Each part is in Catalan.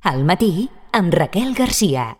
Al matí, amb Raquel Garcia.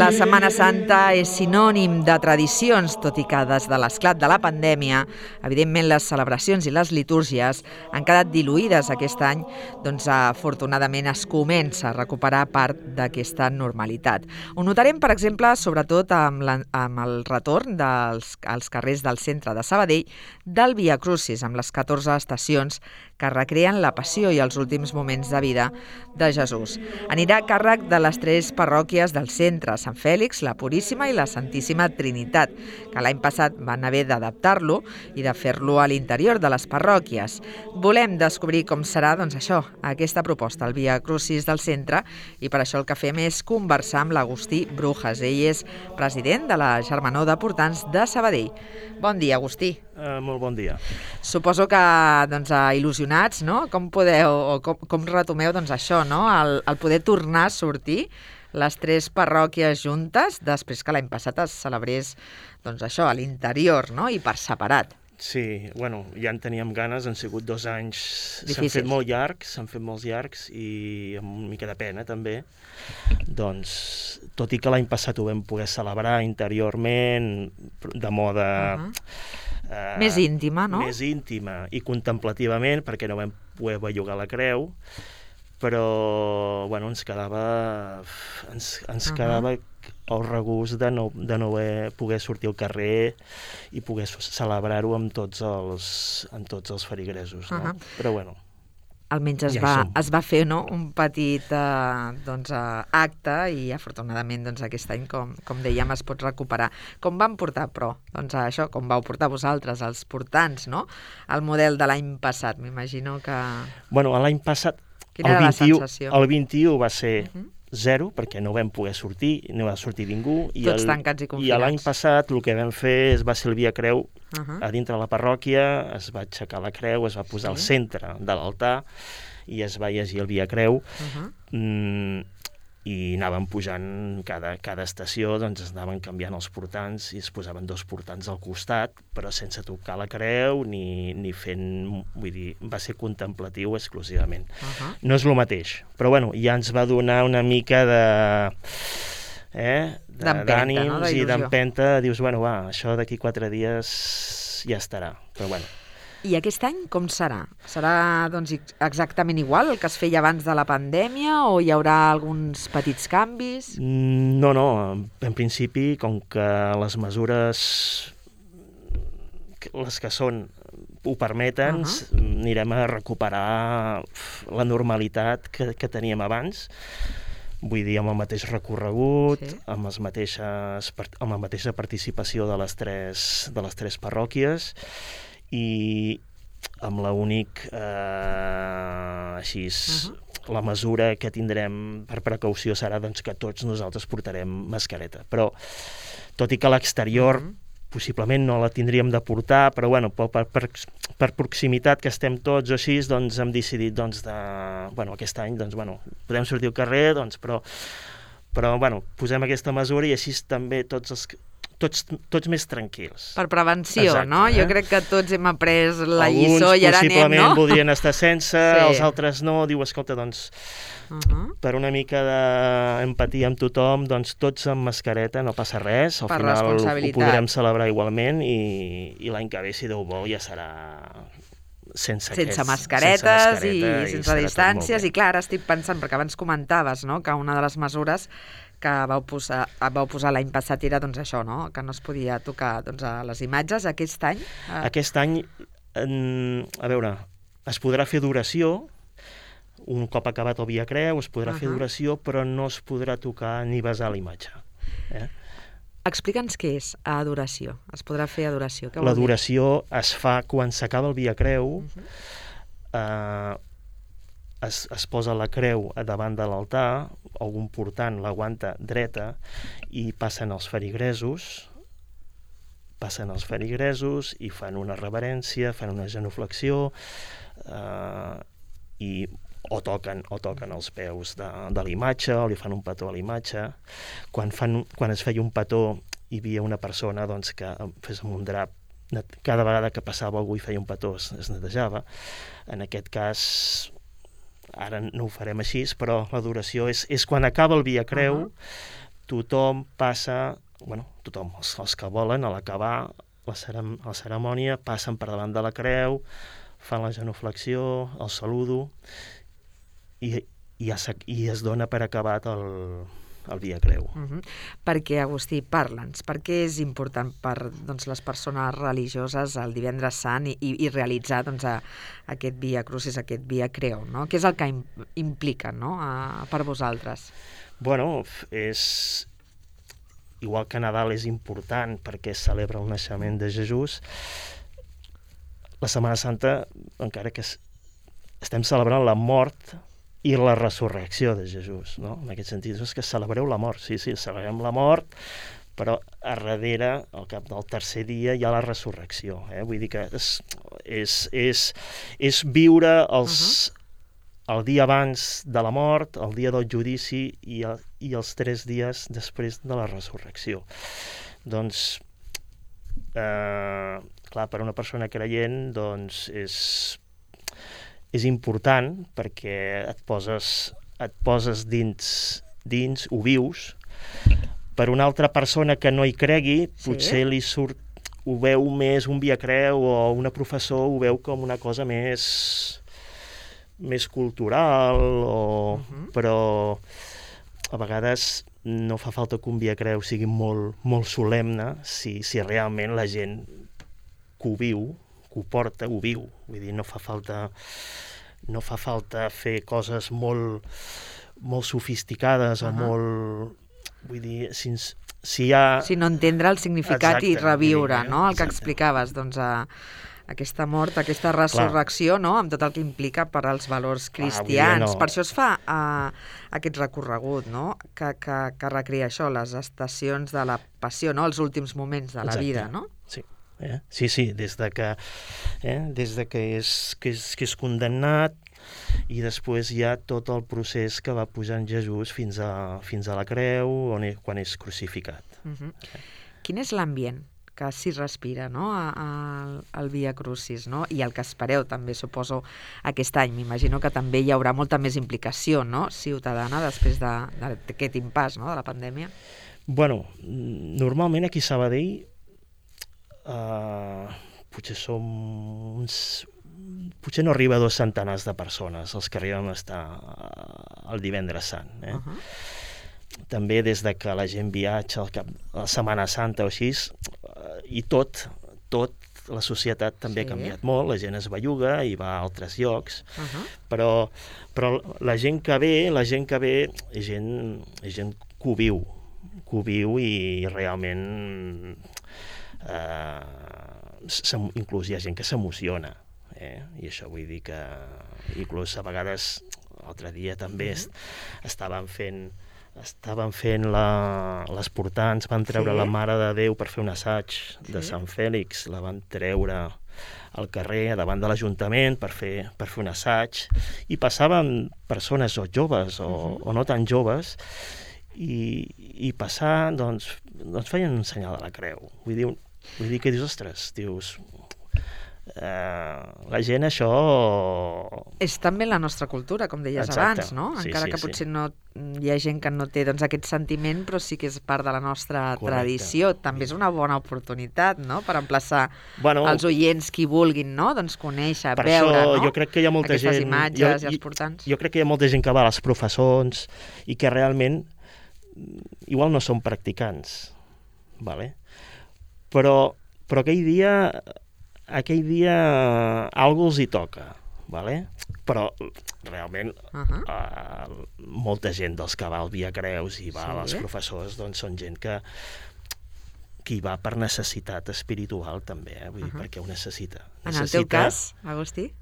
La Setmana Santa és sinònim de tradicions, tot i que des de l'esclat de la pandèmia, evidentment les celebracions i les litúrgies han quedat diluïdes aquest any, doncs afortunadament es comença a recuperar part d'aquesta normalitat. Ho notarem, per exemple, sobretot amb el retorn als carrers del centre de Sabadell del Via Crucis, amb les 14 estacions que recreen la passió i els últims moments de vida de Jesús. Anirà a càrrec de les 3 parròquies del centre, Sant Fèlix, la Puríssima i la Santíssima Trinitat, que l'any passat van haver d'adaptar-lo i de fer-lo a l'interior de les parròquies. Volem descobrir com serà, doncs això, aquesta proposta, el Via Crucis del centre, i per això el que fem és conversar amb l'Agustí Brujas. Ell és president de la Germanor de Portants de Sabadell. Bon dia, Agustí. Molt bon dia. Suposo que il·lusionats, no? Com retomeu això, no? El poder tornar a sortir les 3 parròquies juntes després que l'any passat es celebrés a l'interior, no? I per separat. Sí, ja en teníem ganes, han sigut 2 anys, difícils. s'han fet molts llargs i amb una mica de pena també. Doncs, tot i que l'any passat ho vam poder celebrar interiorment, de moda... més íntima, no? Més íntima i contemplativament, perquè no vam poder bellugar la creu, però ens quedava el regust de no poder sortir al carrer i poder celebrar-ho amb tots els feligresos, no? Però almenys es va fer, no?, un petit acte i afortunadament aquest any, com dèiem, es pot recuperar. Com van portar, però, com vau portar vosaltres, els portants, no?, el model de l'any passat, m'imagino que... L'any passat, el 21 va ser 0, perquè no vam poder sortir, no va sortir ningú. Tots tancats i confinats. I l'any passat el que vam fer va ser el Via Creu a dintre la parròquia, es va aixecar la creu, es va posar al centre de l'altar i es va llegir el Via Creu. I anàvem pujant cada estació, es anaven canviant els portants i es posaven 2 portants al costat, però sense tocar la creu ni fent... Vull dir, va ser contemplatiu exclusivament. No és el mateix, però ja ens va donar una mica d'ànims i d'empenta. Dius, això d'aquí 4 dies ja estarà, però I aquest any com serà? Serà exactament igual el que es feia abans de la pandèmia o hi haurà alguns petits canvis? No, en principi, com que les mesures, les que són, ho permeten, anirem a recuperar la normalitat que teníem abans. Vull dir, amb el mateix recorregut, amb la mateixa participació de les 3 parròquies, i amb l'únic, la mesura que tindrem per precaució serà que tots nosaltres portarem mascareta. Però, tot i que a l'exterior possiblement no la tindríem de portar, però per proximitat que estem tots o així, hem decidit aquest any podem sortir al carrer, però posem aquesta mesura i així també tots més tranquils. Per prevenció, no? Jo crec que tots hem après la lliçó i ara anem, no? Alguns possiblement voldrien estar sense, els altres no. Diu, escolta, per una mica d'empatia amb tothom, tots amb mascareta, no passa res. Al final ho podrem celebrar igualment i l'any que ve, si Déu vol, ja serà sense mascaretes i sense distàncies. I clar, ara estic pensant, perquè abans comentaves, no?, que una de les mesures que vau posar l'any passat era això, no?, que no es podia tocar les imatges. Aquest any? Aquest any, a veure, es podrà fer adoració, un cop acabat el Via Creu, es podrà fer adoració, però no es podrà tocar ni besar la imatge. Explica'ns què és adoració. Es podrà fer adoració. Què vol dir? L'adoració es fa quan s'acaba el Via Creu, es posa la creu davant de l'altar, algun portant l'aguanta dreta i passen els feligresos passen els feligresos i fan una reverència, fan una genuflexió, o toquen els peus de la imatge, o li fan un petó a la imatge. Quan es feia un petó, hi havia una persona doncs, que fes amb un drap, cada vegada que passava algú i feia un petó es netejava. En aquest cas, ara no ho farem així, però l'adoració és quan acaba el Via Creu, tothom passa, tothom, els que volen, a l'acabar la cerimònia, passen per davant de la creu, fan la genuflexió, el saludo, i es dona per acabat el Via Creu. Perquè, Agustí, parla'ns, per què és important per les persones religioses el divendres sant i realitzar aquest Via Crucis, aquest Via Creu, no? Què és el que implica, no? Per vosaltres? És igual que Nadal és important perquè celebra el naixement de Jesús, la Setmana Santa, encara que estem celebrant la mort i la resurrecció de Jesús, no? En aquest sentit, és que celebreu la mort, sí, celebrem la mort, però a darrere, al cap del tercer dia, hi ha la resurrecció. Vull dir que és viure el dia abans de la mort, el dia del judici i els 3 dies després de la resurrecció. Doncs, clar, per a una persona creient, doncs és important perquè et poses dins, ho vius. Per una altra persona que no hi cregui, potser li surt, ho veu més un Via Creu, o una professor ho veu com una cosa més cultural, però a vegades no fa falta que un Via Creu sigui molt, molt solemne si realment la gent que ho viu, que ho porta, ho viu. Vull dir, no fa falta fer coses molt, molt sofisticades o molt... Vull dir, si hi ha... Si no entendre el significat i reviure, no? El que explicaves, aquesta mort, aquesta resurrecció, no? Amb tot el que implica per als valors cristians. Per això es fa aquest recorregut, no? Que recrea això, les estacions de la passió, no? Els últims moments de la vida, no? Sí. Sí, des de que és condemnat, i després hi ha tot el procés que va pujant Jesús fins a la creu, quan és crucificat. Quin és l'ambient que s'hi respira, no? al Via Crucis, no? I el que espereu també, suposo, aquest any. M'imagino que també hi haurà molta més implicació, no? Ciutadana, després d'aquest impàs, no? De la pandèmia. Normalment aquí a Sabadell potser no arriba a 2 centenars de persones els que arriben a estar el divendres sant. També des de que la gent viatja a la Setmana Santa o així, i tot la societat també ha canviat molt, la gent es belluga i va a altres llocs, però la gent que ve és gent que ho viu i realment inclús hi ha gent que s'emociona, i això vull dir que inclús a vegades l'altre dia també estaven fent les portants, van treure la Mare de Déu per fer un assaig de Sant Fèlix, la van treure al carrer davant de l'Ajuntament per fer un assaig, i passaven persones o joves o no tan joves, i passar, doncs feien un senyal de la creu. Vull dir que dius, ostres, la gent això... És també la nostra cultura, com deies abans, no? Encara que potser no hi ha gent que no té aquest sentiment, però sí que és part de la nostra tradició. També és una bona oportunitat, no?, per emplaçar els oients qui vulguin, no?, doncs conèixer, veure, no?, jo crec que hi ha molta aquestes imatges i els portants. Jo crec que hi ha molta gent que va a les professons i que realment igual no són practicants, però aquell dia algú els hi toca, però realment molta gent dels que va al Via Creus i va a les professors, doncs són gent que hi va per necessitat espiritual també, vull dir, perquè ho necessita. En el teu cas, Agustí?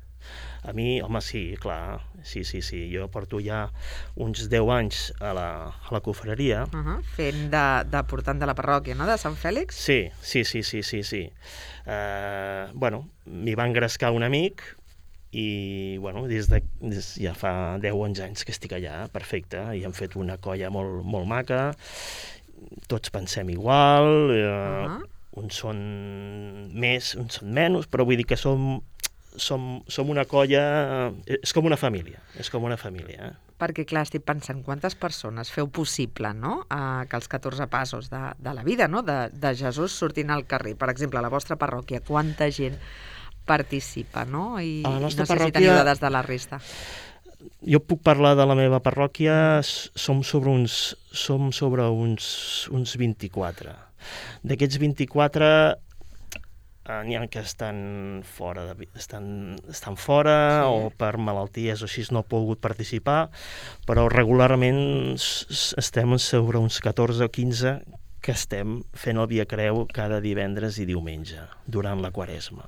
A mi, home, sí, clar, sí. Jo porto ja uns 10 anys a la confraria. Fent de portant de la parròquia, no?, de Sant Fèlix? Sí. M'hi va engrescar un amic i, ja fa 10 o 11 anys que estic allà, perfecte, i hem fet una colla molt, molt maca, tots pensem igual, uns són més, uns són menys, però vull dir que som una colla, és com una família, Perquè, clar, estic pensant quantes persones feu possible, no?, que els 14 passos de la vida, no?, de Jesús sortint al carrer. Per exemple, a la vostra parròquia, quanta gent participa, no? I no sé si teniu dades de la resta. Jo puc parlar de la meva parròquia, som sobre uns 24. D'aquests 24... n'hi ha que estan fora, estan fora, sí, o per malalties o així no han pogut participar, però regularment estem sobre uns 14 o 15 que estem fent el Via Creu cada divendres i diumenge, durant la Quaresma.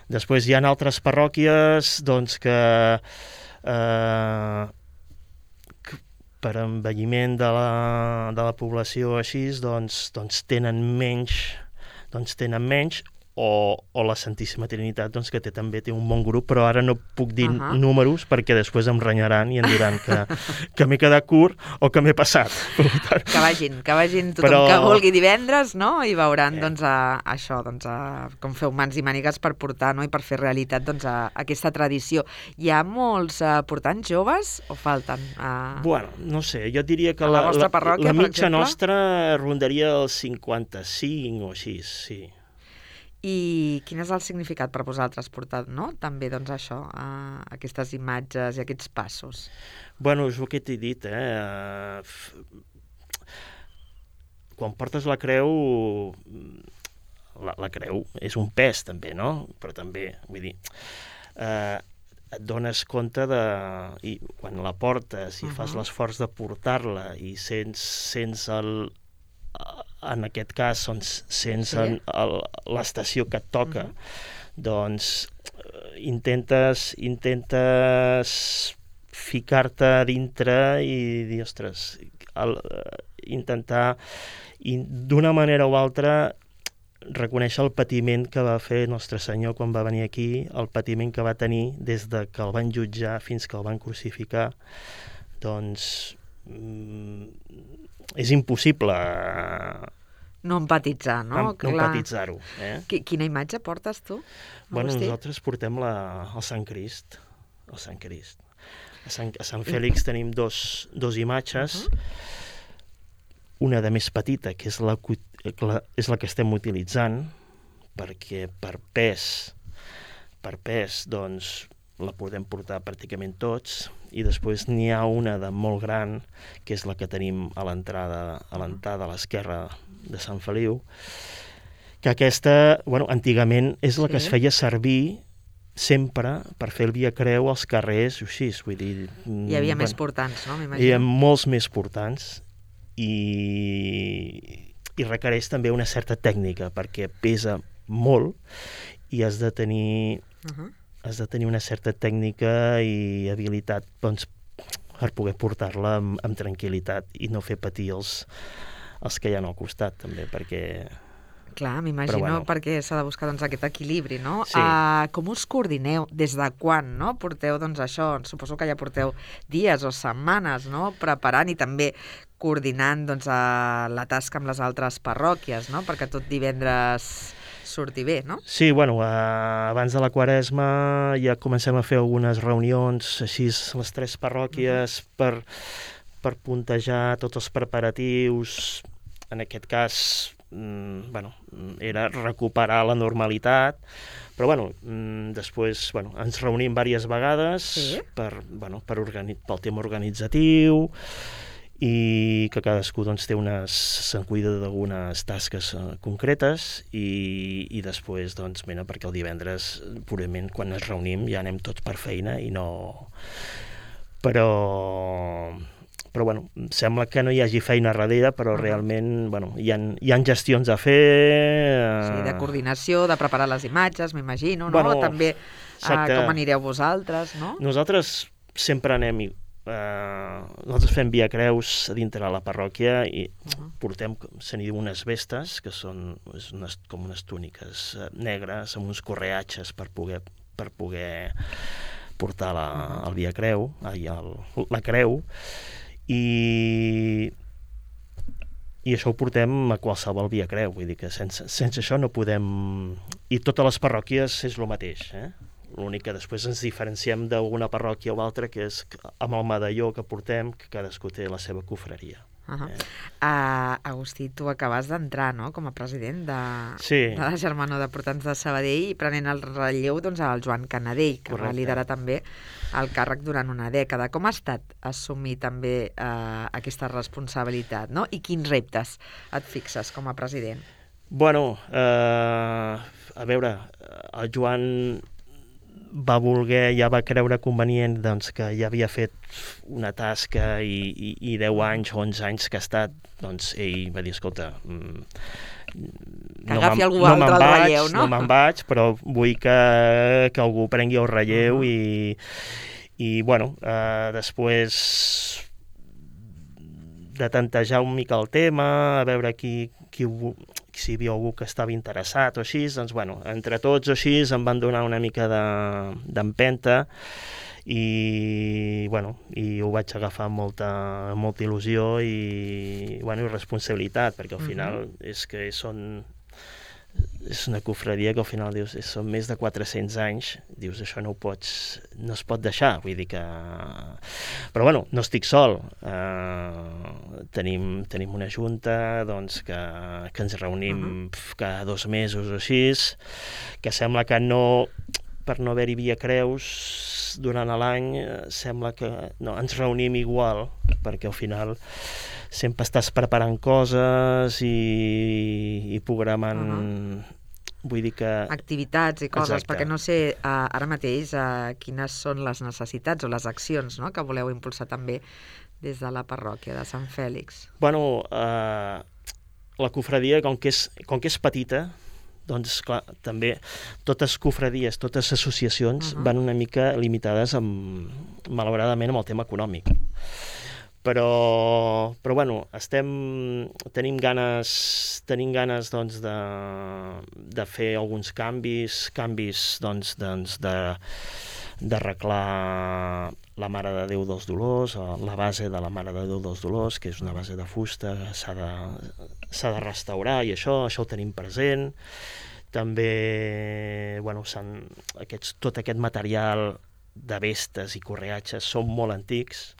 Després hi ha altres parròquies doncs, que per envelliment de la població així, doncs tenen menys, o la Santíssima Trinitat, doncs, que també té un bon grup, però ara no puc dir números perquè després em renyaran i em diran que m'he quedat curt o que m'he passat. Que vagin tothom que vulgui divendres, no?, i veuran això, com feu mans i mànigues per portar, no?, i per fer realitat aquesta tradició. Hi ha molts portants joves o falten? Bueno, no sé, jo diria que la mitja nostra rondaria els 55 o així, sí. I quin és el significat per vosaltres portar, no?, també, doncs, això, aquestes imatges i aquests passos? Bueno, és el que t'he dit, Quan portes la creu, la creu és un pes, també, no? Però també, vull dir, et dones compte i quan la portes i fas l'esforç de portar-la i sents en aquest cas, sents l'estació que et toca, doncs intentes ficar-te a dintre i dir, ostres, intentar d'una manera o altra reconèixer el patiment que va fer Nostre Senyor quan va venir aquí, el patiment que va tenir des de que el van jutjar fins que el van crucificar, doncs és impossible no empatitzar, no? No empatitzar-ho. Quina imatge portes tu? Bueno, nosaltres portem el Sant Crist. A Sant Fèlix tenim dos imatges, una de més petita, que és la que estem utilitzant, perquè per pes, doncs, la podem portar pràcticament tots, i després n'hi ha una de molt gran, que és la que tenim a l'entrada a l'esquerra de Sant Feliu, que aquesta, antigament és la que es feia servir sempre per fer el Via Creu als carrers, així, vull dir... Hi havia més portants, no? M'imagino. Hi havia molts més portants i requereix també una certa tècnica, perquè pesa molt i has de tenir una certa tècnica i habilitat, doncs, per poder portar-la amb tranquil·litat i no fer patir els que hi ha al costat, també, perquè... Clar, m'imagino, perquè s'ha de buscar aquest equilibri, no? Sí. Com us coordineu? Des de quan, no? Porteu, això, suposo que ja porteu dies o setmanes, no?, preparant i també coordinant, la tasca amb les altres parròquies, no?, perquè tot divendres surti bé, no? Sí, abans de la Quaresma ja comencem a fer algunes reunions, així, les 3 parròquies, per puntejar tots els preparatius. En aquest cas, era recuperar la normalitat, però després ens reunim diverses vegades pel tema organitzatiu i que cadascú se'n cuida d'algunes tasques concretes i després perquè el divendres purament quan ens reunim ja anem tots per feina i no... Però sembla que no hi hagi feina darrere, però realment hi ha gestions a fer... Sí, de coordinació, de preparar les imatges, m'imagino, no? També Com anireu vosaltres, no? Nosaltres sempre anem... nosaltres fem Via Creus a dintre de la parròquia i portem, se n'hi diu, unes vestes, que són com unes túniques negres amb uns correatges per poder portar el Via Creu, la creu, i això ho portem a qualsevol Via Creu, vull dir que sense això no podem... I totes les parròquies és el mateix, L'únic que després ens diferenciem d'alguna parròquia o altra, que és amb el medalló que portem, que cadascú té la seva cofreria. Agustí, tu acabes d'entrar, no?, com a president de la Germanor de Portants de Sabadell, i prenent el relleu al Joan Canadell, que va liderar també el càrrec durant una dècada. Com ha estat assumir també aquesta responsabilitat, no? I quins reptes et fixes com a president? Bueno, a veure, el Joan ja va creure convenient que ja havia fet una tasca i 10 anys o 11 anys que ha estat, doncs ell va dir, escolta, que agafi algú altre al relleu, no? No me'n vaig, però vull que algú prengui el relleu i bueno, després de tantejar una mica el tema, a veure si hi havia algú que estava interessat o així, doncs, bueno, entre tots o així em van donar una mica d'empenta i ho vaig agafar amb molta il·lusió i responsabilitat, perquè al final és una cofredia que al final dius, són més de 400 anys, dius, això no es pot deixar, vull dir que... Però bueno, no estic sol, tenim una junta que ens reunim cada 2 mesos o així, que sembla que per no haver-hi Via Creus durant l'any, sembla que ens reunim igual, perquè al final sempre estàs preparant coses i programant... Vull dir que... activitats i coses, Exacte. perquè no sé ara mateix quines són les necessitats o les accions, no?, que voleu impulsar també des de la parròquia de Sant Fèlix. Bueno, la cofradia, com que és petita, doncs clar, també totes cofradies, totes associacions van una mica limitades malauradament amb el tema econòmic. Però bueno, tenim ganes doncs, de fer alguns canvis doncs, d'arreglar la Mare de Déu dels Dolors, la base de la Mare de Déu dels Dolors, que és una base de fusta, s'ha de restaurar, i això ho tenim present. També, bueno, tot aquest material de vestes i correatges són molt antics,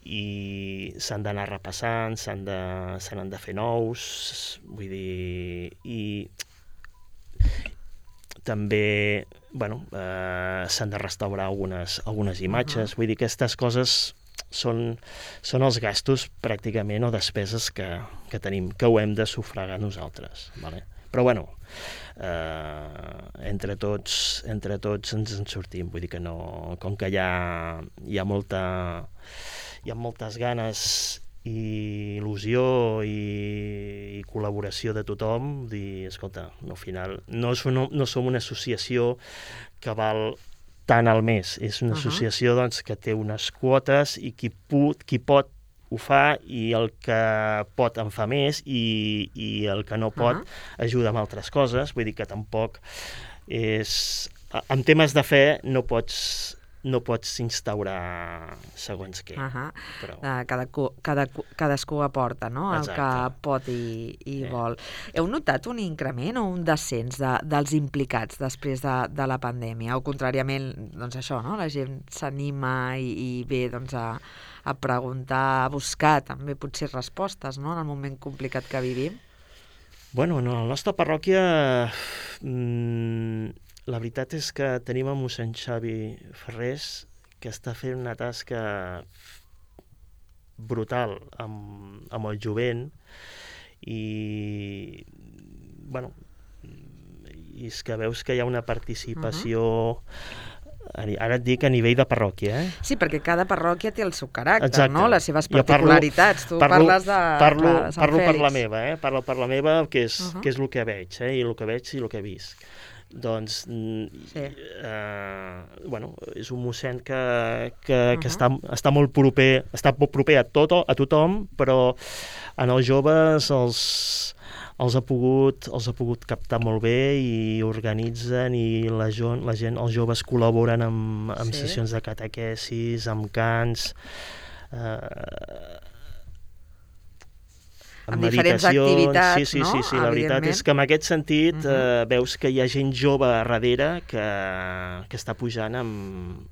i s'han d'anar repassant, se n'han de fer nous, vull dir, i també, bueno, s'han de restaurar algunes imatges, vull dir que aquestes coses són els gastos pràcticament o despeses que tenim, que ho hem de sufragar nosaltres, vale? Però bueno, entre tots ens en sortim, vull dir que no, com que hi ha moltes ganes i il·lusió i col·laboració de tothom, dir, escolta, al final no som una associació que val tant al mes, és una associació doncs, que té unes quotes i qui pot ho fa, i el que pot en fa més, i el que no pot ajuda amb altres coses, vull dir que tampoc és... En temes de fe no pots instaurar segons què. Però... Cadascú aporta, no?, el que pot i vol. Heu notat un increment o un descens dels implicats després de la pandèmia? O contràriament, doncs això, no?, la gent s'anima i ve doncs, a preguntar, a buscar també potser respostes, no?, en el moment complicat que vivim? Bueno, en la nostra parròquia la veritat és que tenim a mossèn Xavi Ferrés, que està fent una tasca brutal amb el jovent, i bueno, i és que veus que hi ha una participació, ara et dic a nivell de parròquia, Sí, perquè cada parròquia té el seu caràcter, Exacte. No?, les seves particularitats. Parles de parlo Sant Fèlix. per la meva, parlo per la meva, que és el que veig, i el que veig i el que he vist. Doncs Sí. bueno, és un mossèn que està molt proper, a tothom, però en els joves els ha pogut captar molt bé i organitzen, i la gent, els joves col·laboren amb sessions de catequesis, amb cants, amb diferents activitats, sí, no? Sí, la veritat és que en aquest sentit veus que hi ha gent jove a darrere que està pujant amb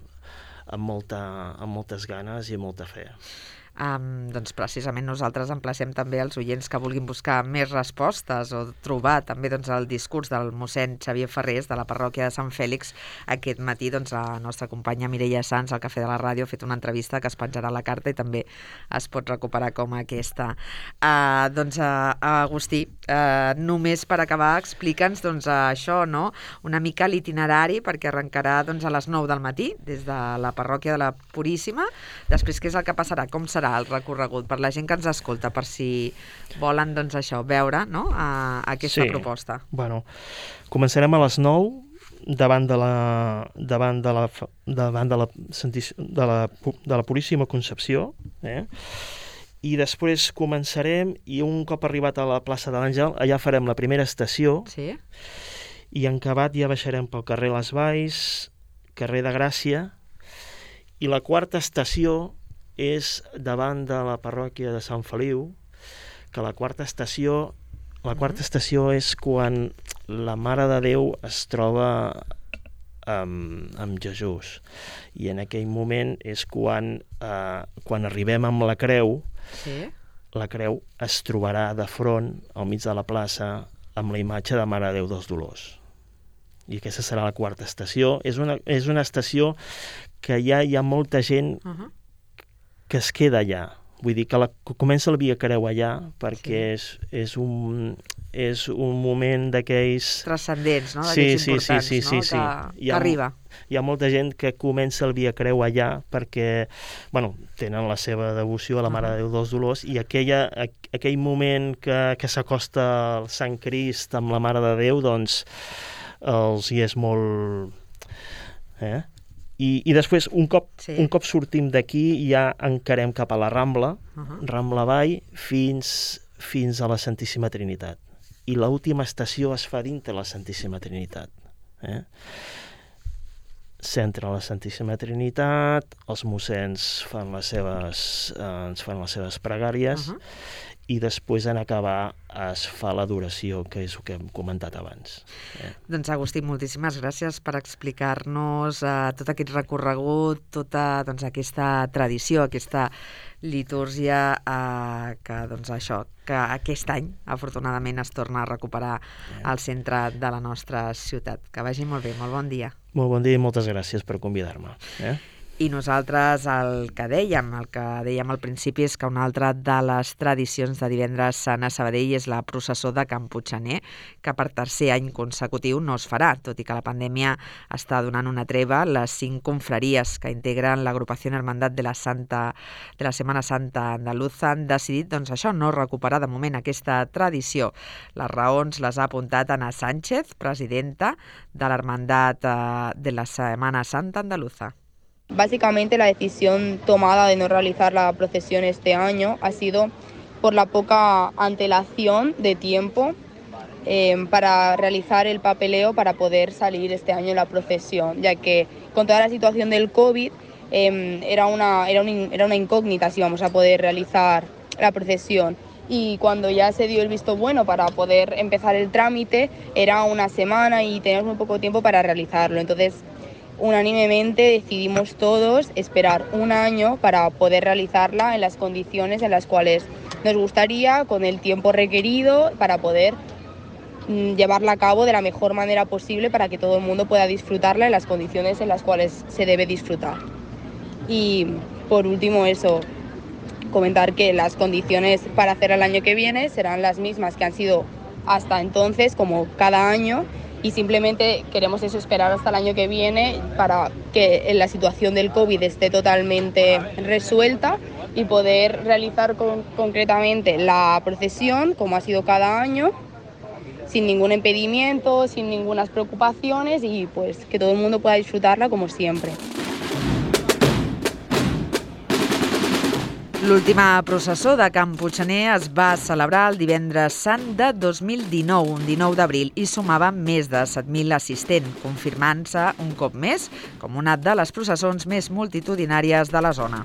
moltes ganes i amb molta fe. Doncs precisament nosaltres emplacem també els oients que vulguin buscar més respostes o trobar també doncs, el discurs del mossèn Xavier Ferrés de la parròquia de Sant Fèlix. Aquest matí doncs, la nostra companya Mireia Sans, al Cafè de la Ràdio, ha fet una entrevista que es penjarà a la carta i també es pot recuperar com aquesta. Agustí, només per acabar, explica'ns doncs, això, no? Una mica l'itinerari, perquè arrencarà doncs, a les 9 del matí des de la parròquia de la Puríssima. Després, què és el que passarà? Com serà el recorregut per la gent que ens escolta, per si volen doncs això, veure, no? Aquesta proposta. Bueno, començarem a les 9 davant de la Puríssima Concepció, i després començarem, i un cop arribat a la plaça de l'Àngel, allà farem la primera estació, i en acabat ja baixarem pel carrer Les Valls, carrer de Gràcia, i la quarta estació és davant de la parròquia de Sant Feliu, que la quarta estació és quan la Mare de Déu es troba amb Jesús, i en aquell moment és quan arribem amb la creu, la creu es trobarà de front al mig de la plaça amb la imatge de Mare de Déu dels Dolors, i aquesta serà la quarta estació. És una estació que ja hi ha molta gent que es queda allà. Vull dir que comença el Via Creu allà, perquè és un moment d'aquells transcendents, no? D'aquells importants, no? Que arriba. Hi ha molta gent que comença el Via Creu allà perquè, tenen la seva devoció a la Mare de Déu dels Dolors, i aquell moment que s'acosta el Sant Crist amb la Mare de Déu, doncs els hi és molt... I després, un cop sortim d'aquí, ja encarem cap a la Rambla, Rambla avall, fins a la Santíssima Trinitat. I l'última estació es fa dintre la Santíssima Trinitat. S'entra a la Santíssima Trinitat, els mossens ens fan les seves pregàries, i després en acabar es fa l'adoració, que és el que hem comentat abans. Doncs Agustí, moltíssimes gràcies per explicar-nos tot aquest recorregut, tota aquesta tradició, aquesta litúrgia que aquest any afortunadament es torna a recuperar al centre de la nostra ciutat. Que vagi molt bé, molt bon dia. Molt bon dia i moltes gràcies per convidar-me. I nosaltres el que dèiem al principi és que una altra de les tradicions de Divendres Sant a Sabadell és la processó de Can Puiggener, que per tercer any consecutiu no es farà, tot i que la pandèmia està donant una treva. Les 5 confraries que integren l'agrupació Hermandad de la Setmana Santa Andaluza han decidit no recuperar de moment aquesta tradició. Les raons les ha apuntat Ana Sánchez, presidenta de l'Hermandad de la Setmana Santa Andaluza. Básicamente la decisión tomada de no realizar la procesión este año ha sido por la poca antelación de tiempo para realizar el papeleo para poder salir este año en la procesión, ya que con toda la situación del COVID era una incógnita si íbamos a poder realizar la procesión. Y cuando ya se dio el visto bueno para poder empezar el trámite, era una semana y teníamos muy poco tiempo para realizarlo. Entonces, unánimemente decidimos todos esperar un año para poder realizarla en las condiciones en las cuales nos gustaría, con el tiempo requerido, para poder llevarla a cabo de la mejor manera posible para que todo el mundo pueda disfrutarla en las condiciones en las cuales se debe disfrutar. Y por último comentar que las condiciones para hacer el año que viene serán las mismas que han sido hasta entonces, como cada año, y simplemente queremos esperar hasta el año que viene para que la situación del COVID esté totalmente resuelta y poder realizar concretamente la procesión como ha sido cada año, sin ningún impedimento, sin ninguna preocupaciones y pues que todo el mundo pueda disfrutarla como siempre. L'última processó de Can Puiggener es va celebrar el divendres sant de 2019, un 19 d'abril, i sumava més de 7.000 assistents, confirmant-se un cop més com una de les processons més multitudinàries de la zona.